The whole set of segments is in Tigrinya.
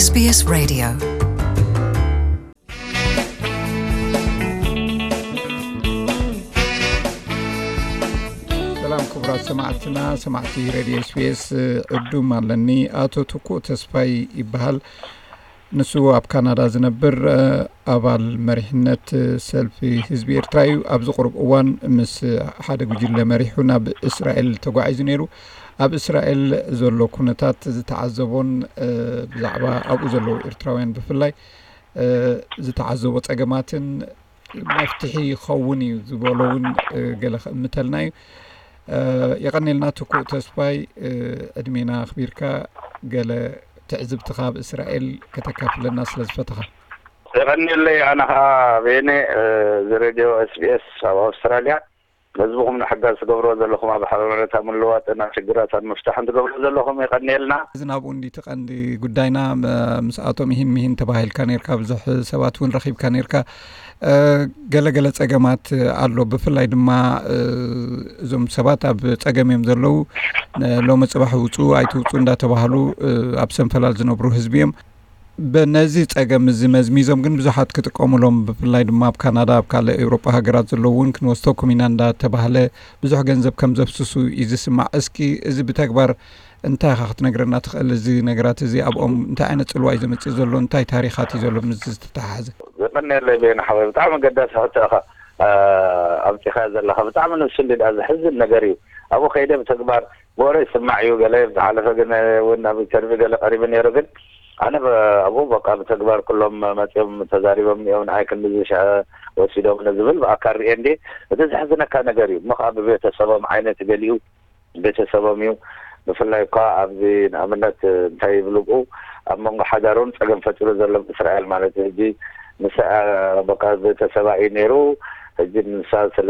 SBS Radio. ሰላም ክቡራት ሰማዕትና፣ ሰማዕቲ ሬድዮ ኤስቢኤስ ዕዱም ኣለኒ። ኣቶ ትኩእ ተስፋይ ይበሃል። ንሱ ኣብ ካናዳ ዝነብር፣ ኣባል መሪሕነት ሰልፊ ህዝቢ ኤርትራ እዩ። ኣብዚ ቁሩብ እዋን ምስ ሓደ ጉጅለ መሪሑ ናብ እስራኤል ተጓዒዙ ነይሩ። ኣብ እስራኤል ዘሎ ኩነታት ዝተዓዘቦን ብዛዕባ ኣብኡ ዘለዉ ኤርትራውያን ብፍላይ ዝተዓዘቦ ጸገማትን መፍትሒ ይኸውን እዩ ዝበሎ እውን ገለ ክእምተልና እዩ። የቐኔልና ትኩእ ተስፋይ፣ ዕድሜና ኣኽቢርካ ገለ ትዕዝብትኻ ኣብ እስራኤል ከተካፍለና ስለ ዝፈተኻ። የቐኔለይ። ኣነ ኸዓ ቤነ፣ እዚ ሬድዮ ኤስቢኤስ ኣብ ኣውስትራልያ፣ ህዝብኹም ንሕጋዝ ትገብርዎ ዘለኹም፣ ኣብ ሓበሬታ ምልዋጥን ኣብ ሽግራታት ምፍታሕን ትገብርዎ ዘለኹም፣ የቐኔልና። እዚ ናብኡ እንዲ እቲ ቀንዲ ጉዳይና፣ ምስኣቶም ይህን ምሂን ተባሂልካ ነርካ፣ ብዙሕ ሰባት እውን ረኺብካ ነርካ። ገለገለ ጸገማት ኣሎ። ብፍላይ ድማ እዞም ሰባት ኣብ ጸገም እዮም ዘለዉ። ሎሚ ጽባሕ ውጹ ኣይትውጹ እንዳተባህሉ ኣብ ሰንፈላል ዝነብሩ ህዝቢ እዮም። በነዚ ጸገም እዚ መዝሚዞም ግን ብዙሓት ክጥቀሙሎም፣ ብፍላይ ድማ ኣብ ካናዳ፣ ኣብ ካልእ ኤውሮጳ ሃገራት ዘለዉ እውን ክንወስደኩም ኢና እንዳተባህለ ብዙሕ ገንዘብ ከም ዘፍስሱ እዩ ዝስማዕ። እስኪ እዚ ብተግባር እንታይ ኢኻ ክትነግረና ትኽእል? እዚ ነገራት እዚ ኣብኦም እንታይ ዓይነት ጽልዋ እዩ ዘምጽእ ዘሎ? እንታይ ታሪኻት እዩ ዘሎ? ምስ ዝተተሓሓዘ። ዘቐንየለይ ቤን ሓወይ፣ ብጣዕሚ ኣገዳሲ ሕቶ ኢኻ ኣብፂኻ ዘለኻ። ብጣዕሚ ነብሲ እንዲ ደኣ ዘሕዝን ነገር እዩ። ኣብኡ ከይደ ብተግባር ብወረ ይስማዕ እዩ። ገለ ዝሓለፈ ግን እውን ኣብ ኢንተርቪው ገለ ቀሪቡ ነይሩ። ግን ኣነ ኣብኡ በቃ ብተግባር ኩሎም መፂኦም ተዛሪቦም እዮም። ንዓይ ክንዲ ዝሸ ወሲዶም ንዝብል ብኣካል ርኤ እንዲ። እቲ ዘሕዝነካ ነገር እዩ እሞ ከዓ ብቤተሰቦም ዓይነት ገሊኡ ቤተሰቦም እዩ። ብፍላይ እኳ ኣብዚ ንኣብነት እንታይ ይብሉ ብኡ ኣብ መንጎ ሓዳሩን ፀገም ፈጢሩ ዘሎ እስራኤል ማለት እዩ። ሕጂ ንሳ በቃ ቤተሰባ እዩ ነይሩ። ሕጂ ንሳ ስለ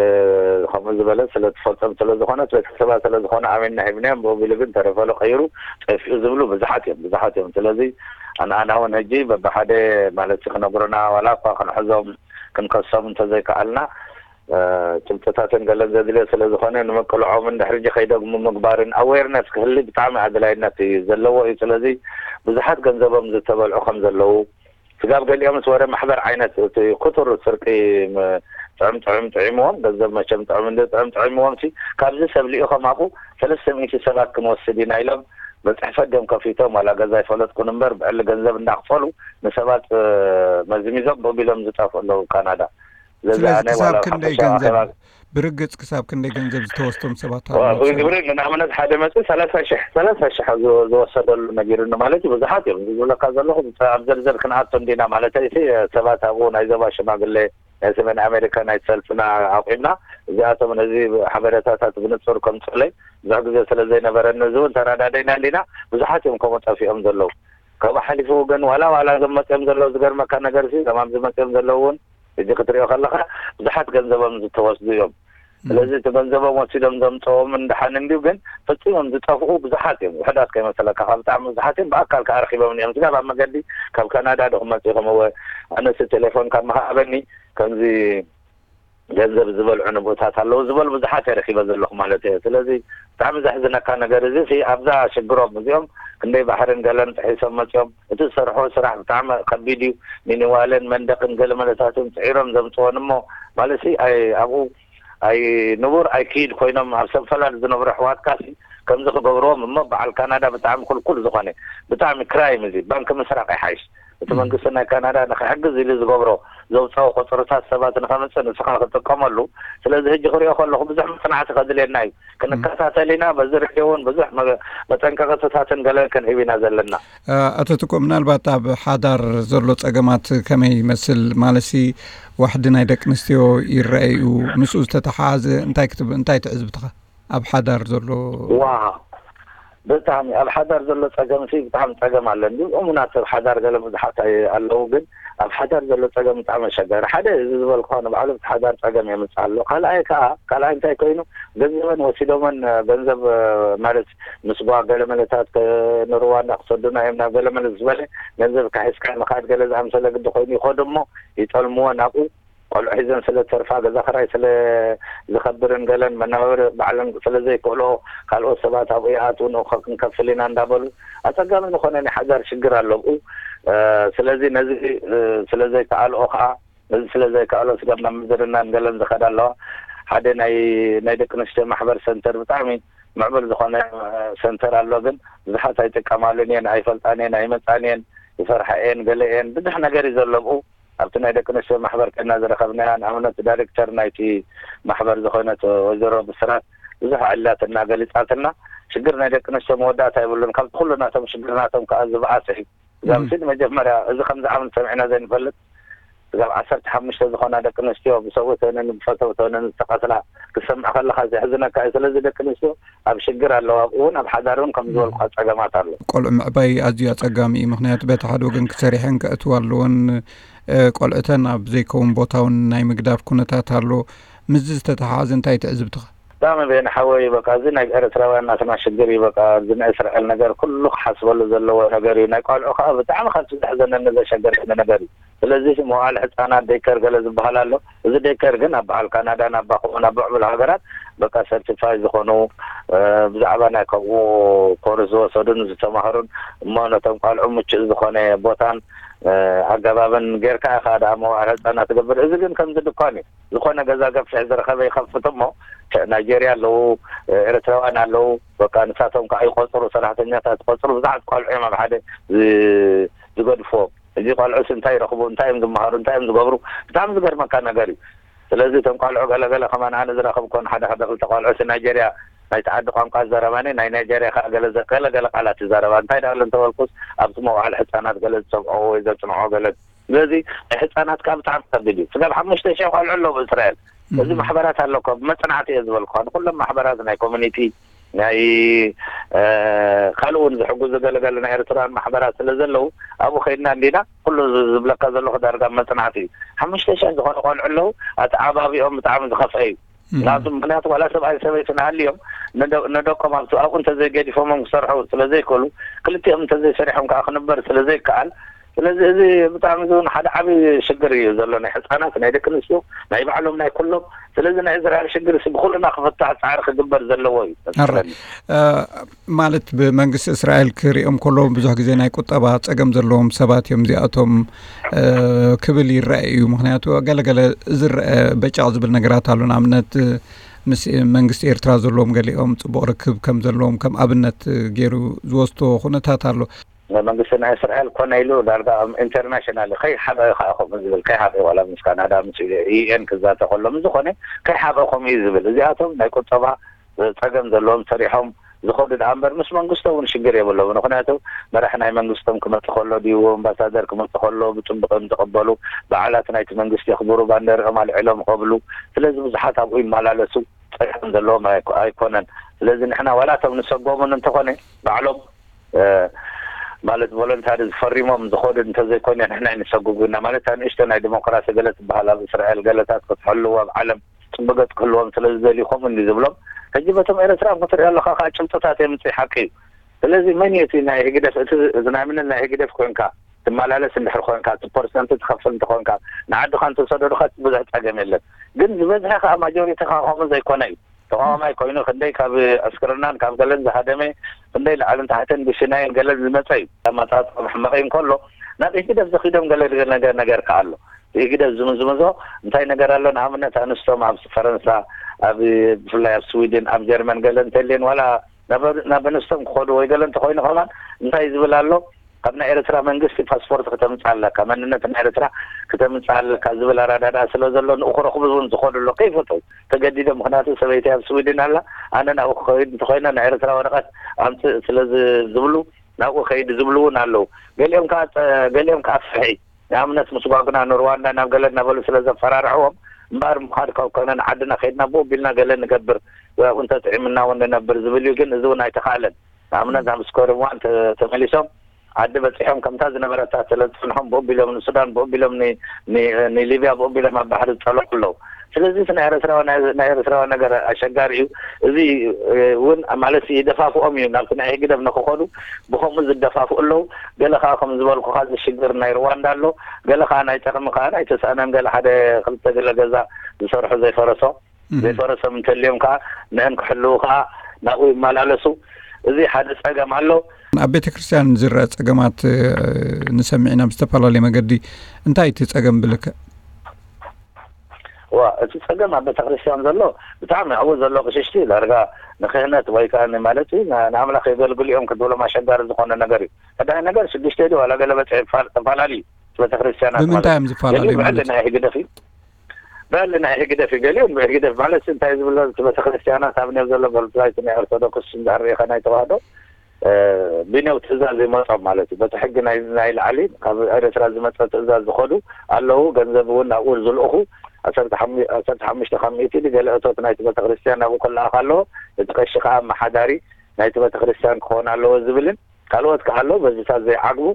ከምኡ ዝበለ ስለ ትፈልጦም ስለ ዝኾነት ቤተሰባ ስለ ዝኾነ ኣሜንና ሂብናዮም ብኡ ቢሉ ግን ተረፈሎ ቀይሩ ጠፊኡ ዝብሉ ብዙሓት እዮም፣ ብዙሓት እዮም። ስለዚ ኣንኣና እውን ሕጂ በብሓደ ማለት ክነግሩና ዋላ እኳ ክንሕዞም ክንከሶም እንተዘይከኣልና ጭብጥታትን ገለን ዘድልዮ ስለ ዝኾነ ንምቅልዖምን ድሕሪ ሕጂ ከይደግሙ ምግባርን ኣዌርነስ ክህሊ ብጣዕሚ ኣድላይነት እዩ ዘለዎ እዩ። ስለዚ ብዙሓት ገንዘቦም ዝተበልዑ ከም ዘለዉ ስጋብ ገሊኦምስ ወረ ማሕበር ዓይነት እቲ ክቱር ስርቂ ጥዕም ጥዕም ጥዒምዎም ገንዘብ መቸም ጥዕም እንደ ጥዕም ጥዒምዎም ሲ ካብዚ ሰብ ልኢኾም ኣብኡ ሰለስተ ሚእቲ ሰባት ክንወስድ ኢና ኢሎም ብፅሕፈት ድም ከፊቶም ዋላ ገዛ ይፈለጥኩን እምበር ብዕሊ ገንዘብ እንዳኽፈሉ ንሰባት መዝሚዞም ቦቢሎም ዝጠፍኡ ኣለዉ ካናዳ። ስለዚ ስለዚ ኣነ ክሳብ ዋላ ክንደይ ሓፈሻዊ ገንዘብ ኣኼባ ብርግጽ ክሳብ ክንደይ ገንዘብ ዝተወስዶም ሰባት ኣለዉ ትብል? ግብሪ ንኣብነት ሓደ መጽ ሰላሳ ሽሕ ሰላሳ ሽሕ ዝወሰደሉ ነጊሩኒ ማለት እዩ። ብዙሓት እዮም እዚ ዝብለካ ዘለኹ። ኣብ ዝርዝር ክንኣቶ እንዲና ማለት እዩ። ሰባት ኣብኡ ናይ ዞባ ሽማግሌ ናይ ሰሜን ኣሜሪካ ናይ ሰልፍና ኣቑምና እዚኣቶም ነዚ ሓበሬታታት ብንጹር ከምጽኡለይ ብዙሕ ግዜ ስለ ዘይነበረኒ እዚ እውን ተረዳደይና እንዲና። ብዙሓት እዮም ከምኡ ጠፊኦም ዘለዉ። ካብኡ ሓሊፉ ግን ዋላ ዋላ እዞም መፅኦም ዘለዉ ዝገርመካ ነገር ሲ እዞም ኣብዚ መፅኦም ዘለዉ እውን ሕጂ ክትሪኦ ከለኻ ብዙሓት ገንዘቦም ዝተወስዱ እዮም። ስለዚ እቲ ገንዘቦም ወሲዶም ዘምፀዎም እንደሓን እንዲዩ ግን ፈፂሞም ዝጠፍኡ ብዙሓት እዮም። ውሕዳት ከይመሰለካ ካብ ብጣዕሚ ብዙሓት እዮም። ብኣካል ከዓ ረኪቦም እዮም ስጋብ ኣብ መገዲ ካብ ካናዳ ዶ ክመፅኡ ከምወ ኣነሲ ቴሌፎን ካብ መሃበኒ ከምዚ ገንዘብ ዝበልዑ ንብኡታት ኣለዉ ዝበሉ ብዙሓት እየ ረኪበ ዘለኹ ማለት እየ። ስለዚ ብጣዕሚ ዘሕዝነካ ነገር እዚ ሲ ኣብዛ ሽግሮም እዚኦም ክንደይ ባሕርን ገለን ጥሒሶም መፅኦም እቲ ዝሰርሖ ስራሕ ብጣዕሚ ከቢድ እዩ። ሚኒዋለን መንደቅን ገለ መለታትን ፅዒሮም ዘምፅወን እሞ ማለት ሲ ኣይ ኣብኡ ኣይ ንቡር ኣይክይድ ኮይኖም ኣብ ሰንፈላል ዝነብሩ ኣሕዋትካ ሲ ከምዚ ክገብርዎም እሞ በዓል ካናዳ ብጣዕሚ ኩልኩል ዝኾነ ብጣዕሚ ክራይም እዚ ባንኪ ምስራቅ ይሓይሽ። እቲ መንግስቲ ናይ ካናዳ ንክሕግዝ ኢሉ ዝገብሮ ዘውፃኦ ቁፅርታት ሰባት ንከምፅእ ንስኻ ክጥቀመሉ። ስለዚ ሕጂ ክሪኦ ከለኹ ብዙሕ መፅናዕቲ ከድልየና እዩ። ክንከታተል ኢና። በዚ ሬድዮ እውን ብዙሕ መ- መጠንቀቅትታትን ገለን ክንህብ ኢና ዘለና። ኣቶ ትኮ ምናልባት ኣብ ሓዳር ዘሎ ጸገማት ከመይ ይመስል ማለሲ ዋሕዲ ናይ ደቂ ኣንስትዮ ይረኣዩ ምስኡ ዝተተሓሓዘ እንታይ ክትብ እንታይ ትዕዝብትኻ ኣብ ሓዳር ዘሎ ዋ ብጣዕሚ ኣብ ሓዳር ዘሎ ጸገም ሲ ብጣዕሚ ጸገም ኣሎ እንዲ እሙናት ሰብ ሓዳር ገለ ብዙሓት ኣይ- ኣለዉ ግን ኣብ ሓዳር ዘሎ ጸገም ብጣዕሚ ኣሸጋሪ ሓደ እዚ ዝበልኩኻ ንባዕሉ እቲ ሓዳር ጸገም የምጽእ ኣሎ ካልኣይ ከዓ ካልኣይ እንታይ ኮይኑ ገንዘበን ወሲዶመን ገንዘብ ማለት ምስ ጓ ገለ መለታት ንርዋንዳ ክሰዱና እዮም ናብ ገለ መለ ዝበለ ገንዘብ ካሒስካ ምኻድ ገለ ዝኣምሰለ ግዲ ኮይኑ ይኸዱ እሞ ይጠልምዎ ናብኡ ቆልዑ ሒዘን ስለ ተርፋ ገዛ ክራይ ስለ ዝኸብርን ገለን መናበሪ ባዕለን ስለ ዘይክእልኦ ካልኦት ሰባት ኣብኡ ይኣትዉ ንእኮ ክንከፍል ኢና እንዳበሉ ኣፀጋሚ ዝኾነ ናይ ሓዳር ሽግር ኣሎ ኣብኡ ስለዚ ነዚ ስለ ዘይከኣልኦ ከዓ፣ ነዚ ስለ ዘይከኣሎ ስጋብ ናብ ምዝርናን ገለን ዝኸዳ ኣለዋ። ሓደ ናይ ናይ ደቂ ኣንስትዮ ማሕበር ሰንተር፣ ብጣዕሚ ምዕቡል ዝኾነ ሰንተር ኣሎ፣ ግን ብዙሓት ኣይጥቀማሉን እየን፣ ኣይፈልጣን እየን፣ ኣይመፃን እየን፣ ይፈርሓ እየን፣ ገለ እየን፣ ብዙሕ ነገር እዩ ዘሎ ኣብኡ። ኣብቲ ናይ ደቂ ኣንስትዮ ማሕበር ከና ዝረኸብናያ፣ ንኣብነት ዳይሬክተር ናይቲ ማሕበር ዝኾነት ወይዘሮ ብስራት ብዙሕ ዕላትና ገሊፃትና። ሽግር ናይ ደቂ ኣንስትዮ መወዳእታ የብሉን፣ ካብቲ ኩሉ ናቶም ሽግር ናቶም ከዓ ዝበኣሰ እዩ። እዛ ስኢድ መጀመርያ እዚ ከምዚ ዓመት ሰሚዕና ዘይንፈልጥ፣ ስጋብ ዓሰርተ ሓሙሽተ ዝኾና ደቂ ኣንስትዮ ብሰብኡተንን ብፈተውተንን ዝተቐትላ ክትሰምዕ ከለኻ ዘሕዝነካ እዩ። ስለዚ ደቂ ኣንስትዮ ኣብ ሽግር ኣለዋ፣ ኣብኡ እውን ኣብ ሓዳር እውን ከም ዝበልኩኻ ጸገማት ኣሎ። ቆልዑ ምዕባይ ኣዝዩ ኣጸጋሚ እዩ። ምኽንያቱ በቲ ሓደ ወገን ክሰሪሐን ከእትዋ ኣለወን፣ ቆልዑተን ኣብ ዘይከውን ቦታ እውን ናይ ምግዳፍ ኩነታት ኣሎ። ምስዚ ዝተተሓሓዘ እንታይ ትዕዝብትኻ? ብጣዕሚ በየነ ሓወይ፣ በቃ እዚ ናይ ኤርትራውያን ናትና ሽግር እዩ። በቃ እዚ ናይ እስራኤል ነገር ኩሉ ክሓስበሉ ዘለዎ ነገር እዩ። ናይ ቆልዑ ከዓ ብጣዕሚ ካብቲ ዘሕዘነኒ ዘሸገረኒ ነገር እዩ። ስለዚ መዋዕለ ህፃናት ደይከር ገለ ዝበሃል ኣሎ። እዚ ደይከር ግን ኣብ በዓል ካናዳን ኣብ ባኹን ኣብ ምዕቡል ሃገራት በቃ ሰርቲፋይ ዝኾኑ፣ ብዛዕባ ናይ ከምኡ ኮርስ ዝወሰዱን ዝተማህሩን፣ እሞ ነቶም ቆልዑ ምቹእ ዝኾነ ቦታን ኣገባብን ጌርካ ኢኻ ደኣ መዋዕለ ህፃናት ትገብር። እዚ ግን ከምዚ ድኳን እዩ። ዝኾነ ገዛ ገፊሕ ዝረኸበ ይኸፍት እሞ፣ ናይጄርያ ኣለዉ፣ ኤርትራውያን ኣለዉ። በቃ ንሳቶም ከዓ ይቆፅሩ፣ ሰራሕተኛታት ይቆፅሩ። ብዙሓት ቆልዑ እዮም ኣብ ሓደ ዝገድፍዎም። እዚ ቆልዑስ እንታይ ይረኽቡ፣ እንታይ እዮም ዝመሃሩ፣ እንታይ እዮም ዝገብሩ? ብጣዕሚ ዝገርመካ ነገር እዩ። ስለዚ እቶም ቆልዑ ገለገለ ከማን ኣነ ዝረኸብኮን ሓደ ሓደ ክልተ ቆልዑ ናይጀርያ ናይቲ ዓዲ ቋንቋ ዝዛረባኒ፣ ናይ ናይጀርያ ከዓ ገለ ገለገለ ቃላት ይዛረባ። እንታይ ደኣ እንተበልኩስ ኣብቲ መውዓል ሕፃናት ገለ ዝሰምዖ ወይ ዘፅንዖ ገለ። ስለዚ ናይ ሕፃናት ከዓ ብጣዕሚ ከቢድ እዩ። ስጋብ ሓሙሽተ ሽሕ ቆልዑ ኣለዉ ብእስራኤል። እዚ ማሕበራት ኣለኮ ብመፅናዕቲ እየ ዝበልኩ፣ ንኩሎም ማሕበራት ናይ ኮሚኒቲ ናይ ካልእ እውን ዝሕግዙ ገለገለ ናይ ኤርትራውያን ማሕበራት ስለ ዘለዉ ኣብኡ ከይድና እንዲና ኩሉ ዝብለካ ዘለኹ ዳርጋ መፅናዕቲ እዩ። ሓሙሽተ ሽሕ ዝኾኑ ቆልዑ ኣለዉ። ኣተዓባቢኦም ብጣዕሚ ዝኸፍአ እዩ። ናቱ ምክንያቱ ዋላ ሰብኣይ ሰበይቲ ንሃልዮም ንደቆም ኣብኡ እንተዘይገዲፎሞም ክሰርሑ ስለዘይክእሉ ክልቲኦም እንተዘይሰሪሖም ከዓ ክንበር ስለዘይከኣል። ስለዚ እዚ ብጣዕሚ እውን ሓደ ዓብዪ ሽግር እዩ ዘሎ። ናይ ሕፃናት ናይ ደቂ ኣንስትዮ ናይ ባዕሎም ናይ ኩሎም። ስለዚ ናይ እስራኤል ሽግር ሲ ብኩልና ክፍታሕ ፃዕሪ ክግበር ዘለዎ እዩ መስለኒ። ማለት ብመንግስቲ እስራኤል ክሪኦም ከሎ ብዙሕ ግዜ ናይ ቁጠባ ፀገም ዘለዎም ሰባት እዮም እዚኣቶም ክብል ይረአ እዩ። ምክንያቱ ገለገለ ዝረአ በጫቕ ዝብል ነገራት ኣሎ። ንኣብነት ምስ መንግስቲ ኤርትራ ዘለዎም ገሊኦም ፅቡቕ ርክብ ከም ዘለዎም ከም ኣብነት ገይሩ ዝወስቶ ኩነታት ኣሎ። መንግስቲ ናይ እስራኤል ኮነ ኢሉ ዳርጋ ኢንተርናሽናል ከይሓበ ከዓ ከምኡ ዝብል ከይሓበ ዋላ ምስ ካናዳ ምስ ዩኤን ክዛተ ከሎ ምስ ዝኾነ ከይሓበ ከምኡ እዩ ዝብል። እዚኣቶም ናይ ቁጠባ ፀገም ዘለዎም ሰሪሖም ዝኸዱ ደኣ እምበር ምስ መንግስቶ እውን ሽግር የብሎም። ምክንያቱ መራሕ ናይ መንግስቶም ክመፅ ከሎ ድዩ ኣምባሳደር ክመፅ ከሎ ብፅቡቅ እዮም ዝቕበሉ። በዓላት ናይቲ መንግስቲ የኽብሩ፣ ባንደርኦም ኣልዒሎም ይኸብሉ። ስለዚ ብዙሓት ኣብኡ ይመላለሱ። ፀገም ዘለዎም ኣይኮነን። ስለዚ ንሕና ዋላ እቶም ንሰጎሙን እንተኾነ ባዕሎም ማለት ቮለንታሪ ዝፈሪሞም ዝኸዱ እንተዘይኮነ ንሕና ኣይንሰጉጉ ኢና። ማለት ንእሽቶ ናይ ዲሞክራሲ ገለ ትበሃል ኣብ እስራኤል ገለታት ክትሕልው ኣብ ዓለም ፅቡቅ ገፅ ክህልዎም ስለ ዝደልዩ ከምኡ እንዲ ዝብሎም። ሕጂ በቶም ኤርትራን ክትሪኦ ኣለካ ከዓ ጭብጥታት የምፅእ ሓቂ እዩ። ስለዚ መን እዩ እቲ ናይ ህግደፍ እቲ ዝናምንን ናይ ህግደፍ ኮንካ ትመላለስ እንድሕር ኮንካ እቲ ፐርሰንት ትኸፍል እንተኮንካ ንዓድኻ እንተሰደዱካ ብዙሕ ፀገም የለን። ግን ዝበዝሐ ከዓ ማጆሪቲ ከዓ ከምኡ ዘይኮነ እዩ። ተቃዋማይ ኮይኑ ክንደይ ካብ ዕስክርናን ካብ ገለን ዝሃደመ ክንደይ ላዕልን ታሕትን ብሽናይን ገለን ዝመፀ እዩ። ኣመፃፅኦም ሕመቕ እንከሎ ናብ ኢህግደፍ ዝኺዶም ገለ ነገር ነገር ከዓ ኣሎ። ኢህግደፍ ዝምዝምዞ እንታይ ነገር ኣሎ? ንኣብነት ኣንስቶም ኣብ ፈረንሳ ኣብ ብፍላይ ኣብ ስዊድን ኣብ ጀርመን ገለ እንተልየን ዋላ ናብ ኣንስቶም ክኸዱ ወይ ገለ እንተኮይኑ ከማን እንታይ ዝብል ኣሎ? ካብ ናይ ኤርትራ መንግስቲ ፓስፖርት ክተምፅእ ኣለካ፣ መንነት ናይ ኤርትራ ክተምፅእ ኣለካ ዝብል ኣረዳድኣ ስለ ዘሎ ንኡ ክረኽቡ እውን ዝኸዱ ኣሎ ከይፈተው ተገዲዶም። ምክንያቱ ሰበይቲ ኣብ ስዊድን ኣላ፣ ኣነ ናብኡ ክኸይድ እንተኮይነ ናይ ኤርትራ ወረቀት ኣምፅእ ስለ ዝብሉ ናብኡ ከይድ ዝብሉ እውን ኣለዉ። ገሊኦም ከዓ ገሊኦም ከዓ ፍርሒ ንኣብነት ምስ ጓጉና ንሩዋንዳ ናብ ገለ እናበሉ ስለ ዘፈራርሕዎም እምበኣር ምኻድ ካብ ኮነ ንዓድና ከይድና ብኡ ቢልና ገለ ንገብር ወይ ኣብኡ እንተጥዒምና እውን ንነብር ዝብል እዩ። ግን እዚ እውን ኣይተኻእለን። ንኣብነት ናብ ስኮርምዋን ተመሊሶም ዓዲ በፂሖም ከምታ ዝነበረታ ስለ ዝፀንሖም ብኡ ቢሎም ንሱዳን ብኡ ቢሎም ንሊብያ ብኡ ቢሎም ኣብ ባሕሪ ዝፀለቁ ኣለዉ። ስለዚ ናይ ኤርትራዊ ናይ ኤርትራዊ ነገር ኣሸጋሪ እዩ። እዚ እውን ማለት ይደፋፍኦም እዩ ናብቲ ናይ ህግደፍ ንክኸዱ ብከምኡ ዝደፋፍኡ ኣለዉ። ገለ ከዓ ከም ዝበልኩካ እዚ ሽግር ናይ ሩዋንዳ ኣሎ። ገለ ከዓ ናይ ጠቅሚ ከዓ ናይ ተስኣነን ገለ ሓደ ክልተ ገለ ገዛ ዝሰርሑ ዘይፈረሶ ዘይፈረሶም እንተልዮም ከዓ ንእን ክሕልዉ ከዓ ናብኡ ይመላለሱ። እዚ ሓደ ጸገም ኣሎ። ኣብ ቤተ ክርስቲያን ዝረአ ጸገማት ንሰምዕ ኢና ብዝተፈላለየ መገዲ። እንታይ እቲ ጸገም ብልክዕ? ዋ፣ እቲ ጸገም ኣብ ቤተ ክርስቲያን ዘሎ ብጣዕሚ ኣብኡ ዘሎ ቅሽሽቲ ዳርጋ ንክህነት ወይ ከዓ ማለት ንኣምላኽ የገልግሉ እዮም ክትብሎም ኣሸጋሪ ዝኾነ ነገር እዩ። ቀዳይ ነገር ሽዱሽተ ድዩ ዋላ ገለ በጽሒ ተፈላለዩ ቤተ ክርስቲያናት ማለት ብምንታይ እዮም ዝፈላለዩ ገሊኡ ማለት ብዕሊ ናይ ህግደፍ እዩ። ብዕሊ ናይ ህግደፍ እዩ ገሊኡ ብህግደፍ ማለት እንታይ ዝብሎ እቲ ቤተ ክርስቲያናት ኣብ ኔው ዘሎ ብፍላይ ናይ ኦርቶዶክስ እንዳርኢኻ ናይ ተዋህዶ ብኔው ትእዛዝ ይመጾም ማለት እዩ። በቲ ሕጊ ናይ ላዕሊ ካብ ኤርትራ ዝመጸ ትእዛዝ ዝኸዱ ኣለዉ። ገንዘብ እውን ናብኡ ዝልእኹ ዓሰርተ ሓሙሽተ ካብ ሚእቲ ገለ እቶት ናይቲ ቤተክርስትያን ናብኡ ክለኣኽ ኣለዎ። እቲ ቀሺ ከዓ ኣመሓዳሪ ናይቲ ቤተክርስትያን ክኸውን ኣለዎ ዝብልን ካልኦት ከዓ ኣለዉ። በዚታት ዘይዓግቡ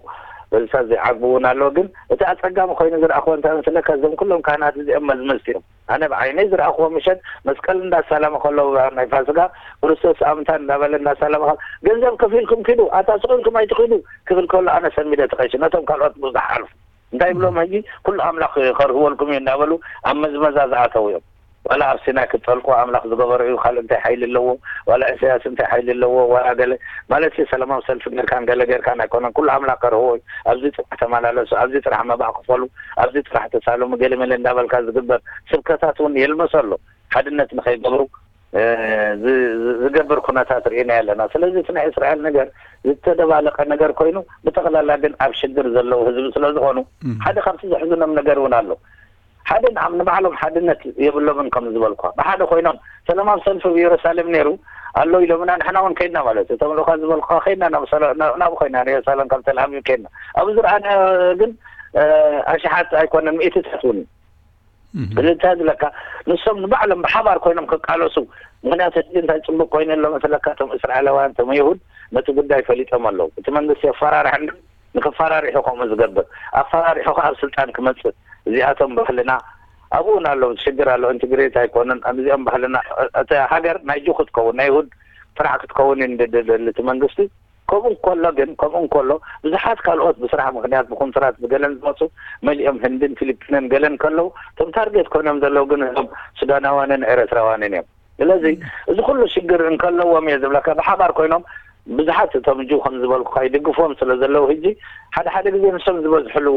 በዚታት ዘይዓግቡ እውን ኣለዉ። ግን እቲ ኣጸጋሚ ኮይኑ ዝረኣኽዎ እንታይ መስለካ? እዞም ኩሎም ካህናት እዚኦም መዝመዝቲ እዮም። ኣነ ብዓይነይ ዝረኣኽዎ ምሸት መስቀል እንዳሳለመ ከለዉ ናይ ፋሲካ ክርስቶስ ኣምታ እንዳበለ እንዳሳለመ ገንዘብ ከፊልኩም ኪዱ ኣታ ስቑንኩም ኣይትኺዱ ክብል ከሎ ኣነ ሰሚደ ተቐይሱ ነቶም ካልኦት ብዙሕ ሓልፉ እንታይ ብሎም ሕጂ ኩሉ ኣምላኽ ከርህወልኩም እዩ እንዳበሉ ኣብ መዝመዛ ዝኣተው እዮም። ዋላ ኣብ ሲናይ ክትጠልቁ ኣምላኽ ዝገበሮ እዩ ካልእ እንታይ ሓይሊ ኣለዎ? ዋላ ኢሳያስ እንታይ ሓይሊ ኣለዎ? ዋላ ገለ ማለት ሰላማዊ ሰልፊ ጌርካን ገለ ጌርካን ኣይኮነን። ኩሉ ኣምላኽ ከርህዎ እዩ። ኣብዚ ጥራሕ ተመላለሱ፣ ኣብዚ ጥራሕ መባእ ክፈሉ፣ ኣብዚ ጥራሕ ተሳለሙ ገለ መለ እንዳበልካ ዝግበር ስብከታት እውን የልመሰ ኣሎ። ሓድነት ንኸይገብሩ ዝገብር ኩነታት ርኢና ኣለና። ስለዚ እቲ ናይ እስራኤል ነገር ዝተደባለቀ ነገር ኮይኑ ብጠቕላላ ግን ኣብ ሽግር ዘለዉ ህዝቢ ስለ ዝኾኑ ሓደ ካብቲ ዘሕዝኖም ነገር እውን ኣሎ። ሓደ ንባዕሎም ሓድነት የብሎምን ከም ዝበልኳ ብሓደ ኮይኖም ሰላማዊ ሰልፊ ኣብ ኢየሩሳሌም ነይሩ ኣሎ ኢሎምና ንሕና እውን ከይድና ማለት እዩ። እቶም ልኡኻት ዝበልኩኻ ከይድና ናብኡ ኮይና ንኢየሩሳሌም ካብ ተልኣቪቭ ከይድና ኣብኡ ዝረኣና ግን ኣሽሓት ኣይኮነን ሚእትታት እውን እዩ። እዚ እንታይ ዝብለካ ንሶም ንባዕሎም ብሓባር ኮይኖም ክቃለሱ ምክንያቱ ሕጂ እንታይ ፅቡቅ ኮይኑ ኣሎ መስለካ እቶም እስራኤላውያን እቶም ይሁድ ነቲ ጉዳይ ፈሊጦም ኣለዉ። እቲ መንግስቲ የፈራርሕ እንዶ ንክፈራርሑ ከምኡ ዝገብር ኣፈራሪሑ ከዓ ኣብ ስልጣን ክመፅእ እዚኣቶም ባህልና ኣብኡ እውን ኣሎ ሽግር ኣሎ ኢንትግሬት ኣይኮነን እዚኦም ባህልና እታ ሃገር ናይ ጁ ክትከውን ናይ ይሁድ ጥራሕ ክትከውን እዩ ዝደሊ እቲ መንግስቲ። ከምኡ እንከሎ ግን ከምኡ እንከሎ ብዙሓት ካልኦት ብስራሕ ምክንያት ብኮንትራት ብገለን ዝመፁ መሊኦም ህንድን ፊሊፒንን ገለን ከለዉ እቶም ታርጌት ኮይኖም ዘለዉ ግን እዞም ሱዳናውያንን ኤረትራውያንን እዮም። ስለዚ እዚ ኩሉ ሽግር እንከለዎም እየ ዝብለካ ብሓባር ኮይኖም ብዙሓት እቶም ጁ ከም ዝበልኩካ ይድግፍዎም ስለ ዘለዉ ሕጂ ሓደ ሓደ ግዜ ንሶም ዝበዝሕሉ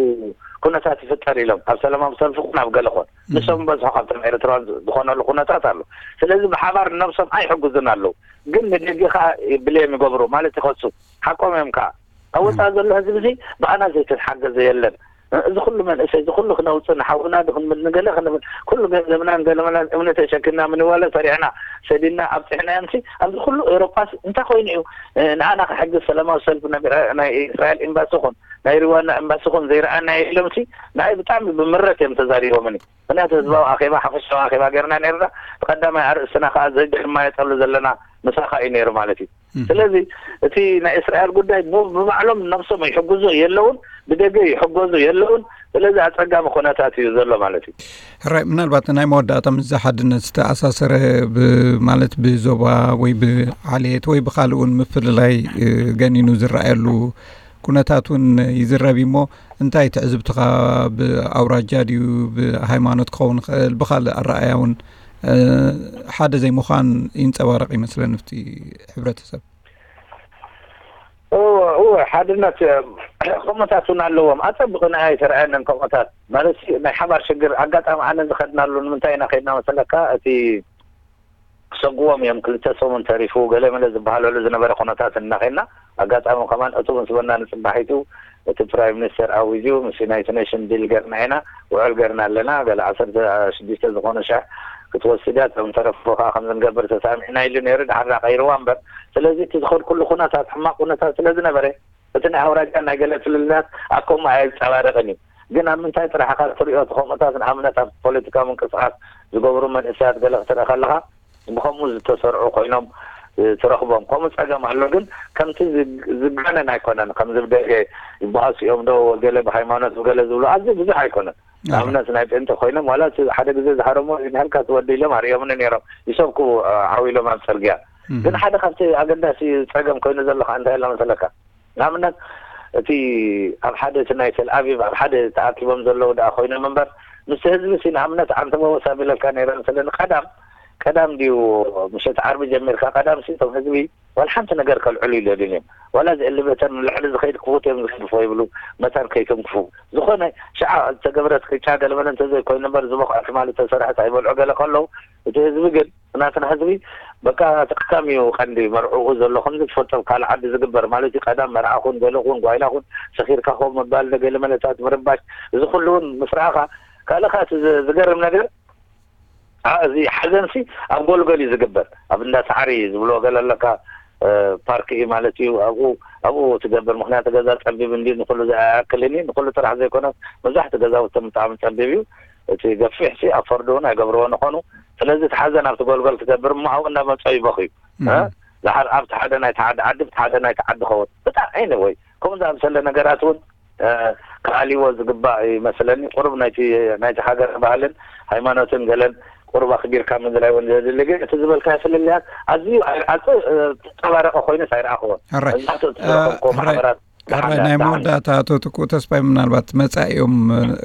ኩነታት ይፍጠር ኢሎም ኣብ ሰላማዊ ሰልፊ ኩን ኣብ ገለ ኮን ንሶም በዝሑ ካብቶም ኤርትራውያን ዝኾነሉ ኩነታት ኣሎ። ስለዚ ብሓባር ነብሶም ኣይሕግዙን ኣለዉ። ግን ንደገ ከዓ ብሌም ይገብሩ ማለት ይኸሱ ሓቆም እዮም ከዓ ኣብ ወፃኢ ዘሎ ህዝቢ እዚ ብኣና ዘይተሓገዘ የለን። እዚ ኩሉ መንእሰይ እዚ ኩሉ ክነውፅእ ንሓውና ዶ ክንብል ንገለ ክንብል ኩሉ ገንዘብናን ገለመላን እምኒ ተሸኪምና ምንዋለ ሰሪዕና ሰዲድና ኣብፅሕናዮምሲ ኣብዚ ኩሉ ኤውሮጳስ እንታይ ኮይኑ እዩ ንኣና ክሕግዝ ሰላማዊ ሰልፊ ናይ እስራኤል ኤምባሲ ኹን ናይ ሪዋንዳ ኤምባሲ ኹን ዘይረኣናዮ ኢሎምሲ ንኣይ ብጣዕሚ ብምረት እዮም ተዛሪቦምኒ። ምክንያቱ ህዝባዊ ኣኼባ ሓፈሻዊ ኣኼባ ጌርና ነርና። እቲ ቀዳማይ ኣርእስትና ከዓ ዘግርማ የጠሉ ዘለና ምሳኻ እዩ ነይሩ ማለት እዩ። ስለዚ እቲ ናይ እስራኤል ጉዳይ ብባዕሎም ነብሶም ይሕግዙ የለውን ብደገ ይሕገዙ የለውን። ስለዚ ኣፀጋሚ ኩነታት እዩ ዘሎ ማለት እዩ። ሕራይ ምናልባት ናይ መወዳእታ ምስ ሓድነት ዝተኣሳሰረ ማለት ብዞባ ወይ ብዓሌት ወይ ብካልእ እውን ምፍልላይ ገኒኑ ዝረኣየሉ ኩነታት እውን ይዝረብ እሞ እንታይ ትዕዝብትኻ ብኣውራጃ ድዩ ብሃይማኖት ክኸውን ይኽእል ብካልእ ኣረኣያ እውን ሓደ ዘይምዃን ይንፀባረቕ ይመስለኒ ኣብቲ ሕብረተሰብ። እወ ሓድነት ከምኡታት እውን ኣለዎም ኣፀብቕና ኣይተረኣየንን ከምኡታት ማለት ናይ ሓባር ሽግር ኣጋጣሚ ኣነ ዝኸድናሉ ንምንታይ ኢና ከድና መሰለካ እቲ ክሰጉዎም እዮም ክልተ ሰሙን ተሪፉ ገለ መለ ዝበሃለሉ ዝነበረ ኩነታት እናኸና ኣጋጣሚ ከማን እቱ ምስ በና ንፅባሒቱ እቲ ፕራይም ሚኒስተር ኣዊጁ ምስ ዩናይትድ ኔሽን ዲል ገርና ኢና ውዕል ገርና ኣለና ገለ ዓሰርተ ሽዱሽተ ዝኾኑ ሽሕ ክትወስድ እያ እቶም ተረፉ ከዓ ከም ዝንገብር ተሳሚዕና ኢሉ ነይሩ ድሓር ቀይርዋ እምበር ስለዚ እቲ ዝኸድ ኩሉ ኩነታት ሕማቅ ኩነታት ስለ ዝነበረ እቲ ናይ ኣውራጃ ናይ ገለ ፍልልያት ኣብ ከምኡ ኣየንፀባረቅን እዩ። ግን ኣብ ምንታይ ጥራሕ ኢኻ ትሪኦ? እቲ ከምኡታት ንኣብነት ኣብ ፖለቲካዊ ምንቅስቃስ ዝገብሩ መንእሰያት ገለ ክትርኢ ከለኻ ብኸምኡ ዝተሰርዑ ኮይኖም ትረኽቦም። ከምኡ ፀገም ኣሎ፣ ግን ከምቲ ዝጋነን ኣይኮነን። ከምዚ ብደገ ይበኣሱ እዮም ዶ ገለ ብሃይማኖት ብገለ ዝብሉ ኣዝዩ ብዙሕ ኣይኮነን። ንኣብነት ናይ ጴንጤ ኮይኖም ዋላ እቲ ሓደ ግዜ ዝሃረሞ ይንሃልካ ትወዲ ኢሎም ኣርእዮምኒ ነይሮም ይሰብኩ ዓው ኢሎም ኣብ ፅርግያ። ግን ሓደ ካብቲ ኣገዳሲ ፀገም ኮይኑ ዘሎ ከዓ እንታይ ኣሎ መሰለካ? ንኣብነት እቲ ኣብ ሓደ እቲ ናይ ተልኣቪቭ ኣብ ሓደ ተኣኪቦም ዘለዉ ደኣ ኮይኖም እምበር ምስቲ ህዝቢ ሲ ንኣብነት ዓንተቦ ወሳብ ኢለካ ነይረ መሰለኒ ቀዳም ቀዳም ድዩ ምሸት ዓርቢ ጀሚርካ ቀዳም ሲ እቶም ህዝቢ ዋላ ሓንቲ ነገር ከልዕሉ ይደልዩን እዮም። ዋላ እዚ ኤሌቬተር ንላዕሊ ዝኸይድ ክፉት እዮም ዝገድፎ ይብሉ፣ መታን ከይትንክፉ። ዝኾነ ሽዓ ዝተገብረት ቅጫ ገለመለ እንተዘይኮይኑ እምበር ዝበቑዐ ትማሊ ተሰርሐት ኣይበልዑ ገለ ከለዉ፣ እቲ ህዝቢ ግን ናትና ህዝቢ በቃ እቲ ቀዳም እዩ ቀንዲ መርዕኡ ዘሎ ከምዚ ትፈልጦ ኣብ ካልእ ዓዲ ዝግበር ማለት እዩ። ቀዳም መርዓ ኹን ገለ ኹን ጓይላ ኹን ሰኺርካ ኸው ምባል ገለመለታት ምርባሽ እዚ ኩሉ እውን ምስ ረኣኻ ካልእ ከዓ እቲ ዝ- ዝገርም ነገር ዓ- እዚ ሓዘንሲ ኣብ ጎልጎል እዩ ዝግበር ኣብ እንዳ ሳዕሪ ዝብልዎ ገለ ኣለካ እ፣ ፓርክ እዩ ማለት እዩ ኣብኡ ኣብኡ ትገብር ምክንያቱ ገዛ ፀቢብ እንዲ ንኩሉ ዝኣክልን እዩ ንኩሉ ጥራሕ ዘይኮነስ መብዛሕቲ ገዛውቶም ብጣዕሚ ፀቢብ እዩ እቲ ገፊሕ ሲ ኣፈርድ እውን ኣይገብርዎ ንኾኑ ስለዚ እቲ ሓዘን ኣብቲ ጎልጎል ትገብር እሞ ኣብኡ እንዳመፀ ይበኽዩ እ? ዝሓር ኣብቲ ሓደ ናይ ተዓዲ ዓዲ ብቲ ሓደ ናይ ተዓዲ ኸውን ብጣዕሚ ወይ ከምኡ ዝኣምሰለ ነገራት እውን ክኣልይዎ ዝግባእ ይመስለኒ። ቁሩብ ናይቲ ናይቲ ሃገር ባህልን ሃይማኖትን ገለን ቁሩብ ኣኽቢርካ ምዝራይ እውን ዘድሊ ግን እቲ ዝበልካዮ ፍልልያት ኣዝዩ ኣይ- ኣጽ- ተንጸባረቐ ኮይኑስ ኣይረኣኽዎን። ሕራይ መብዛሕትኡ እቲ ዝረኸብክዎ ሕራይ ማሕበራት ሕራይ ደሓን ናይ ደሓን መወዳእታ ኣቶ ትኩእ ተስፋይ ምናልባት መጻኢኦም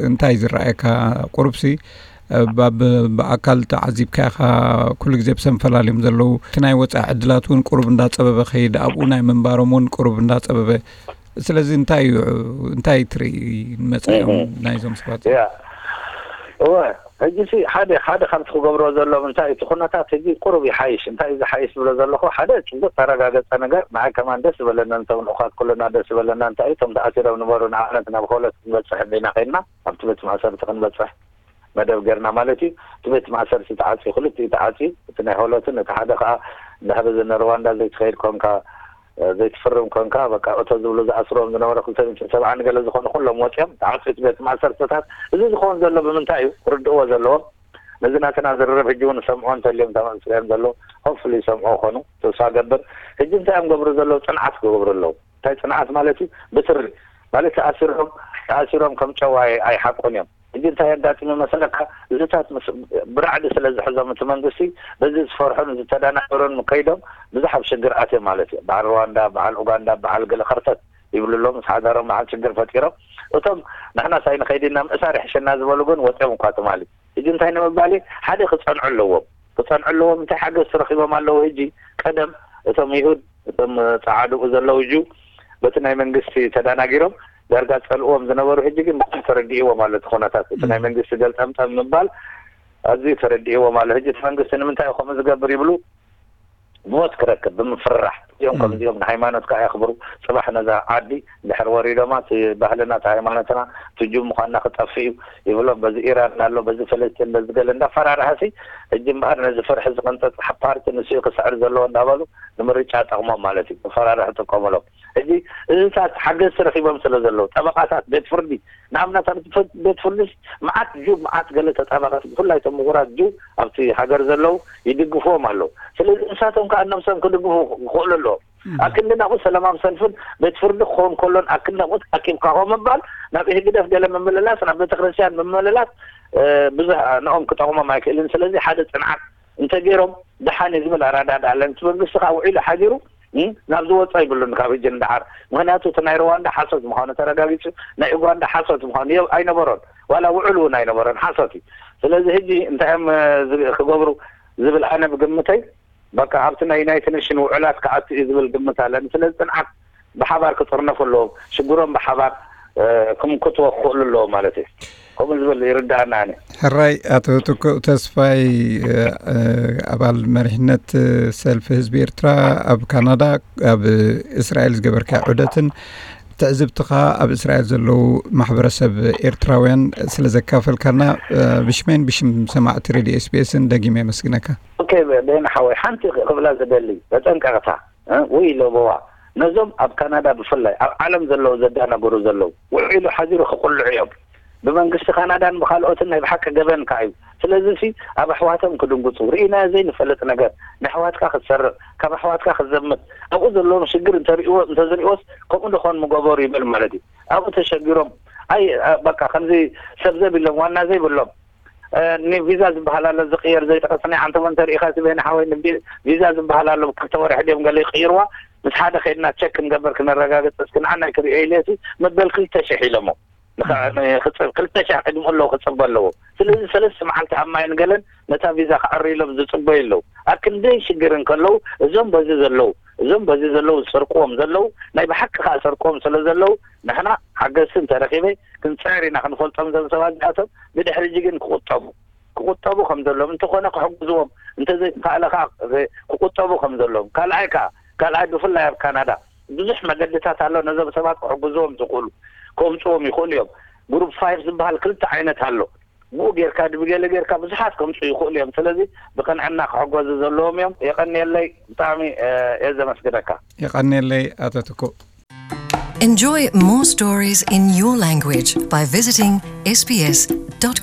እንታይ ዝረኣየካ ቁሩብሲ ብ- ብኣካል ተዓዚብካ ኢኻ ኩሉ ግዜ ብሰንፈላልዮም ዘለዉ እቲ ናይ ወፃኢ ዕድላት እውን ቁሩብ እንዳፀበበ ከይድ ኣብኡ ናይ ምንባሮም እውን ቁሩብ እንዳፀበበ ስለዚ እንታይ እዩ እንታይ ትርኢ ንመፃኢኦም ናይዞም ሰባት ያ እወ ሕጂ ሲ ሓደ ሓደ ካብቲ ክገብሮ ዘሎም እንታይ እቲ ኩነታት ሕጂ ቁሩብ ይሓይሽ እንታይ እዩ ዝሓይሽ ዝብሎ ዘለኹ ሓደ ፅቡቅ ተረጋገፀ ነገር ንዓይ ከማን ደስ ዝበለና ነቶም ልኡኻት ኩልና ደስ ዝበለና እንታይ እዩ እቶም ተኣሲሮም ንበሩ ንኣብነት ናብ ሆለት ክንበፅሕ እንዲና ከይድና ኣብቲ ቤት ማእሰርቲ ክንበፅሕ መደብ ጌርና ማለት እዩ እቲ ቤት ማእሰርቲ ተዓፅዩ ክልቲኡ ተዓፅዩ እቲ ናይ ሆለትን እቲ ሓደ ከዓ እንድሕር እዚ ንሩዋንዳ ዘይትኸይድ ኮንካ ዘይትፍርም ኮንካ በቃ እቶ ዝብሉ ዝኣስርዎም ዝነበረ ክልተ ሚእቲ ሰብዓ ንገለ ዝኾኑ ኩሎም ወፂኦም ተዓፅዩ እቲ ቤት ማእሰርትታት እዚ ዝኸውን ዘሎ ብምንታይ እዩ ክርድእዎ ዘለዎም ነዚ ናትና ዝርርብ ሕጂ እውን ሰምዖ እንተልዮም ተመፅኦም ዘለዉ ሆፍሊ ሰምዖ ኾኑ ተስፋ ገብር ሕጂ እንታይ እዮም ገብሩ ዘለዉ ፅንዓት ክገብሩ ኣለዉ እንታይ ፅንዓት ማለት እዩ ብትሪ ማለት ተኣሲሮም ተኣሲሮም ከም ጨዋ ኣይሓቁን እዮም ሕጂ እንታይ የጋጥም ይመስለካ እዚታት ምስ ብራዕዲ ስለ ዝሕዞም እቲ መንግስቲ በዚ ዝፈርሑን ዝተደናገሩን ከይዶም ብዙሕ ኣብ ሽግር ኣትዮም ማለት እዩ በዓል ሩዋንዳ በዓል ኡጋንዳ በዓል ገለ ከርተት ይብሉ ኣለዉ ምስ ሓዳሮም በዓል ሽግር ፈጢሮም እቶም ንሕናስ ኣይንኸይድ ኢና ምእሳር ይሕሸና ዝበሉ ግን ወፅዮም እኳ ትማሊ ሕጂ እንታይ ንምባል እዩ ሓደ ክፀንዑ ኣለዎም ክፀንዑ ኣለዎም እንታይ ሓገዝ ተረኪቦም ኣለዉ ሕጂ ቀደም እቶም ይሁድ እቶም ፀዓድኡ ዘለዉ ጁ በቲ ናይ መንግስቲ ተዳናጊሮም ዳርጋ ፀልእዎም ዝነበሩ ሕጂ ግን ብጣዕሚ ተረዲእዎም ኣሎ እቲ ኩነታት እቲ ናይ መንግስቲ ገልጠምጠም ምባል ኣዝዩ ተረዲእዎም ኣሎ ሕጂ እቲ መንግስቲ ንምንታይ ከምኡ ዝገብር ይብሉ ሞት ክረክብ ብምፍራሕ እዚኦም ከምዚኦም ንሃይማኖትካ የኽብሩ ፅባሕ ነዛ ዓዲ ድሕር ወሪዶማ እቲ ባህልና እቲ ሃይማኖትና ትጁ ምዃንና ክጠፍእ እዩ ይብሎም በዚ ኢራን ኣሎ በዚ ፈለስጢን በዚ ገለ እንዳፈራርሐሲ ሕጂ እምበኣር ነዚ ፍርሒ ዝቕንጥጥ ፓርቲ ንስኡ ክስዕር ዘለዎ እንዳበሉ ንምርጫ ጠቕሞም ማለት እዩ መፈራርሒ ጥቀሙሎም ሕጂ እዚታት ሓገዝቲ ረኺቦም ስለ ዘለዉ ጠበቓታት ቤት ፍርዲ ንኣብነት ኣብ ቤት ፍርዲ መዓት ጁ መዓት ገለ ተጣባቐት ብፍላይ ቶም ምሁራት ጁ ኣብቲ ሃገር ዘለዉ ይድግፍዎም ኣለዉ ስለዚ ንሳቶም ከዓ ነብሶም ክድግፉ ክኽእሉ ኣለዎም ኣብ ክንዲ ናብኡ ሰላማዊ ሰልፍን ቤት ፍርዲ ክኸውን ከሎን ኣብ ክንዲ ናብኡ ተኣኪብካ ከምኡ ምባል ናብ ኢህግደፍ ገለ ምምልላስ ናብ ቤተክርስትያን ምምልላስ ብዙሕ ንኦም ክጠቕሞም ኣይክእልን ስለዚ ሓደ ፅንዓት እንተገይሮም ደሓን እዩ ዝብል ኣረዳድኣ ኣለኒ እቲ መንግስቲ ከዓ ውዒሉ ሓዲሩ ናብ ዝወፅኦ ይብሉን ካብ ህጂ ንደሓር ምክንያቱ እቲ ናይ ሩዋንዳ ሓሶት ምኳኑ ተረጋጊፁ ናይ ኡጋንዳ ሓሶት ምኳኑ ኣይነበሮን ዋላ ውዕል እውን ኣይነበሮን ሓሶት እዩ ስለዚ ህጂ እንታይ እዮም ክገብሩ ዝብል ኣነ ብግምተይ በቃ ኣብቲ ናይ ዩናይትድ ኔሽን ውዕላት ክኣቱ እዩ ዝብል ግምት ኣለኒ ስለዚ ፅንዓት ብሓባር ክጥርነፉ ኣለዎም ሽግሮም ብሓባር ክምክትዎ ክኽእሉ ኣለዎም ማለት እዩ ከምኡ ዝብል ይርዳኣና ኣነ ሕራይ ኣቶ ትኩእ ተስፋይ ኣባል መሪሕነት ሰልፊ ህዝቢ ኤርትራ ኣብ ካናዳ ኣብ እስራኤል ዝገበርካ ዑደትን ትዕዝብትኻ ኣብ እስራኤል ዘለዉ ማሕበረሰብ ኤርትራውያን ስለ ዘካፈልካና ብሽመይን ብሽም ሰማዕቲ ሬድዮ ኤስቢኤስን ደጊመ የመስግነካ። ኦኬ በየነ ሓወይ ሓንቲ ክብላ ዝደሊ መጠንቀቕታ ወይ ለበዋ ነዞም ኣብ ካናዳ ብፍላይ ኣብ ዓለም ዘለዉ ዘዳናግሩ ዘለዉ ውዒሉ ሓዚሩ ክቕልዑ እዮም። ብመንግስቲ ካናዳን ብኻልኦትን ናይ ብሓቂ ገበን ከኣ እዩ። ስለዚ ሲ ኣብ ኣሕዋቶም ክድንግጹ ርኢናዮ ዘይንፈልጥ ነገር ንኣሕዋትካ ክትሰርቕ ካብ ኣሕዋትካ ክትዘምት ኣብኡ ዘለዎም ሽግር እንተርእይዎ እንተዝርእይዎስ ከምኡ ዶ ኾን ምገበሩ ይብል ማለት እዩ። ኣብኡ ተሸጊሮም ኣይ በቃ ከምዚ ሰብ ዘብ ኢሎም ዋና ዘይብሎም ኒ ቪዛ ዝበሃል ኣሎ ዝቕየር ዘይጠቐስኒ ዓንተቦ እንተሪኢኻ እቲ በይኒ ሓወይ ቪዛ ዝበሃል ኣሎ ክልተ ወርሒ ድዮም ገለ ይቕይርዋ ምስ ሓደ ከይድና ቸክ ክንገብር ክነረጋግፅ እስኪ ንዓናይ ክርእዮ ኢለ እቲ መበል ክልተ ሽሕ ኢሎሞ ንኽጽብ ክልተ ሻዕ ቅድሚ ኣለዉ ክጽበ ኣለዎ። ስለዚ ሰለስተ መዓልቲ ኣብ ማይን ገለን ነታ ቪዛ ክዕርይሎም ዝጽበዩ ኣለዉ። ኣብ ክንደይ ሽግር እንከለዉ እዞም በዚ ዘለዉ እዞም በዚ ዘለዉ ዝሰርቅዎም ዘለዉ ናይ ብሓቂ ከዓ ሰርቅዎም ስለ ዘለዉ ንሕና ሓገዝቲ እንተረኺበ ክንፅዕር ኢና ክንፈልጦም እዞም ሰባት እዚኣቶም። ብድሕሪ ግን ክቁጠቡ ክቁጠቡ ከም ዘለዎም እንተኾነ ክሕግዝዎም እንተዘይተኻእለ ከዓ ክቁጠቡ ከም ዘለዎም ካልኣይ ከዓ ካልኣይ ብፍላይ ኣብ ካናዳ ብዙሕ መገድታት ኣሎ ነዞም ሰባት ክሕግዝዎም ዝኽእሉ ከምፅዎም ይኽእሉ እዮም። ግሩፕ ፋይቭ ዝበሃል ክልተ ዓይነት ኣሎ። ብኡ ጌርካ ብገለ ጌርካ ብዙሓት ከምፁ ይኽእሉ እዮም። ስለዚ ብቅንዕና ክሕገዙ ዘለዎም እዮም። የቀንየለይ። ብጣዕሚ እየ ዘመስግነካ። የቐንየለይ ኣቶ ትኩእ። Enjoy more stories in your language by visiting sbs.com.au.